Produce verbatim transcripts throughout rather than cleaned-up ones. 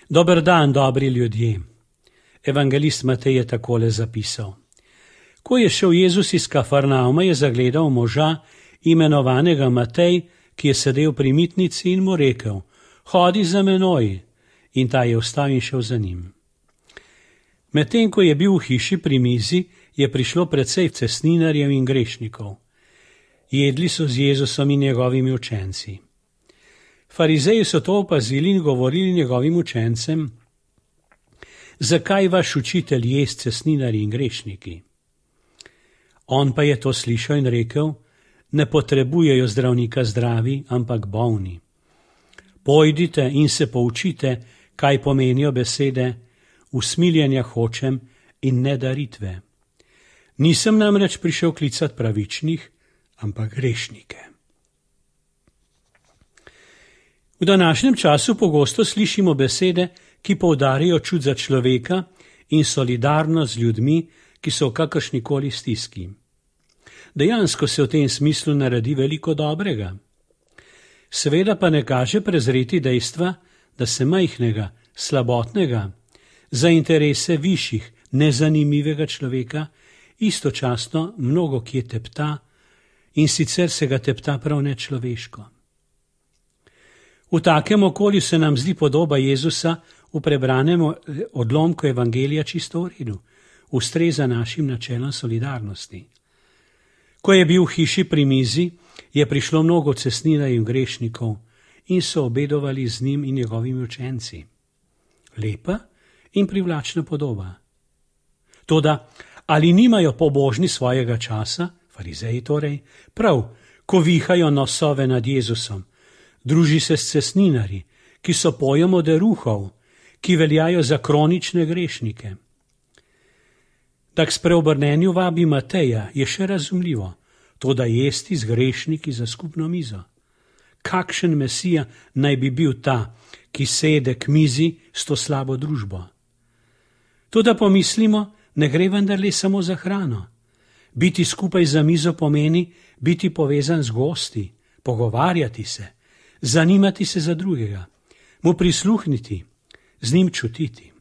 Dober dan, dobri ljudje. Evangelist Matej je takole zapisal. Ko je šel Jezus iz Kafarnauma, je zagledal moža, imenovanega Matej, ki je sedel pri mitnici in mu rekel: Hodi za menoj. In ta je vstal in šel za njim. Medtem ko je bil v hiši pri mizi, je prišlo precej cestninarjev in grešnikov. Jedli so z Jezusom in njegovimi učenci. Farizeji so to opazili in govorili njegovim učencem: Zakaj vaš učitelj je s cestninarji in grešniki? On pa je to slišal in rekel: Ne potrebujejo zdravnika zdravi, ampak bolni. Pojdite in se poučite, kaj pomenijo besede: usmiljenja hočem in ne daritve. Nisem namreč prišel klicati pravičnih, ampak grešnike. V današnjem času pogosto slišimo besede, ki poudarijo čut za človeka in solidarnost z ljudmi, ki so v kakršnikoli stiski. Dejansko se v tem smislu naredi veliko dobrega. Seveda pa ne kaže prezreti dejstva, da se majhnega, slabotnega, za interese višjih, nezanimivega človeka istočasno mnogo kje tepta in sicer se ga tepta prav nečloveško. V takem okolju se nam zdi podoba Jezusa v prebranem odlomku Evangelija čisto v redu, ustreza našim načelom solidarnosti. Ko je bil v hiši pri mizi, je prišlo mnogo cestninarjev in grešnikov in so obedovali z njim in njegovimi učenci. Lepa in privlačna podoba. Toda, ali nimajo pobožni svojega časa, farizeji torej, prav, ko vihajo nosove nad Jezusom, druži se s cestninarji, ki so pojem oderuhov, ki veljajo za kronične grešnike. Tak spreobrnenju vabi Mateja je še razumljivo, to da jesti z grešniki za skupno mizo. Kakšen mesija naj bi bil ta, ki sede k mizi s to slabo družbo? To da pomislimo, ne gre vendarle samo za hrano. Biti skupaj za mizo pomeni biti povezan z gosti, pogovarjati se, zanimati se za drugega, mu prisluhniti, z njim čutiti.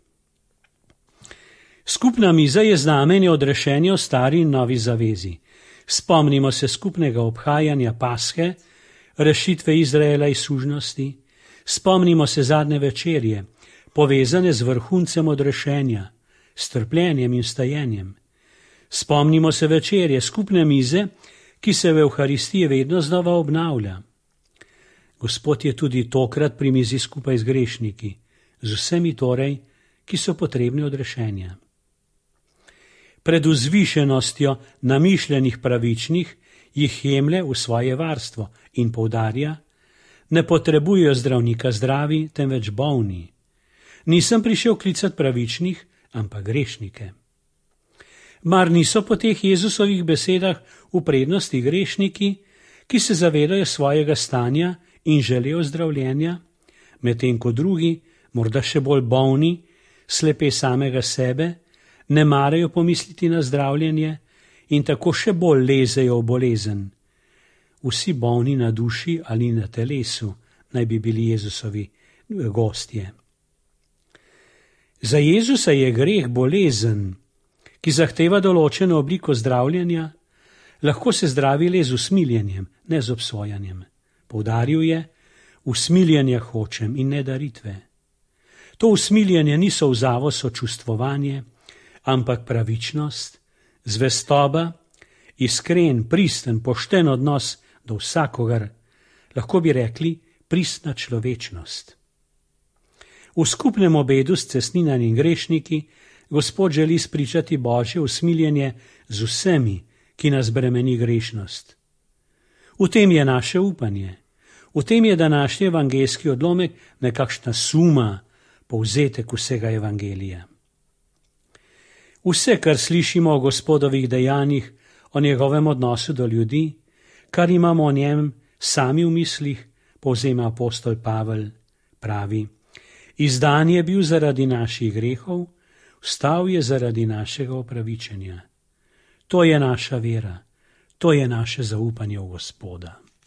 Skupna miza je znamenje odrešenja v stari in novi zavezi. Spomnimo se skupnega obhajanja Pashe, rešitve Izraela iz sužnosti, spomnimo se zadnje večerje, povezane z vrhuncem odrešenja, s trpljenjem in stajenjem. Spomnimo se večerje skupne mize, ki se v Evharistiji vedno znova obnavlja. Gospod je tudi tokrat pri mizi skupaj z grešniki, z vsemi torej, ki so potrebni odrešenja. Pred vzvišenostjo namišljenih pravičnih jih jemlje v svoje varstvo in poudarja: ne potrebujejo zdravnika zdravi, temveč bolni. Nisem prišel klicati pravičnih, ampak grešnike. Mar niso po teh Jezusovih besedah v prednosti grešniki, ki se zavedajo svojega stanja in želijo zdravljenja, medtem ko drugi, morda še bolj bolni, slepe samega sebe, ne marajo pomisliti na zdravljenje in tako še bolj lezejo v bolezen. Vsi bolni na duši ali na telesu naj bi bili Jezusovi gostje. Za Jezusa je greh bolezen, ki zahteva določeno obliko zdravljenja, lahko se zdravi le z usmiljenjem, ne z obsojanjem. Poudaril je: usmiljenja hočem in ne daritve. To usmiljenje ni solzavo sočustvovanje, ampak pravičnost, zvestoba, iskren, pristen, pošten odnos do vsakogar, lahko bi rekli pristna človečnost. V skupnem obedu s cestninarji in grešniki Gospod želi spričati Božje usmiljenje z vsemi, ki nas bremeni grešnost. V tem je naše upanje, v tem je današnji evangeljski odlomek nekakšna suma, povzetek vsega evangelija. Vse, kar slišimo o Gospodovih dejanjih, o njegovem odnosu do ljudi, kar imamo o njem sami v mislih, povzema apostol Pavel, pravi: izdan je bil zaradi naših grehov, vstal je zaradi našega opravičenja. To je naša vera, to je naše zaupanje v Gospoda.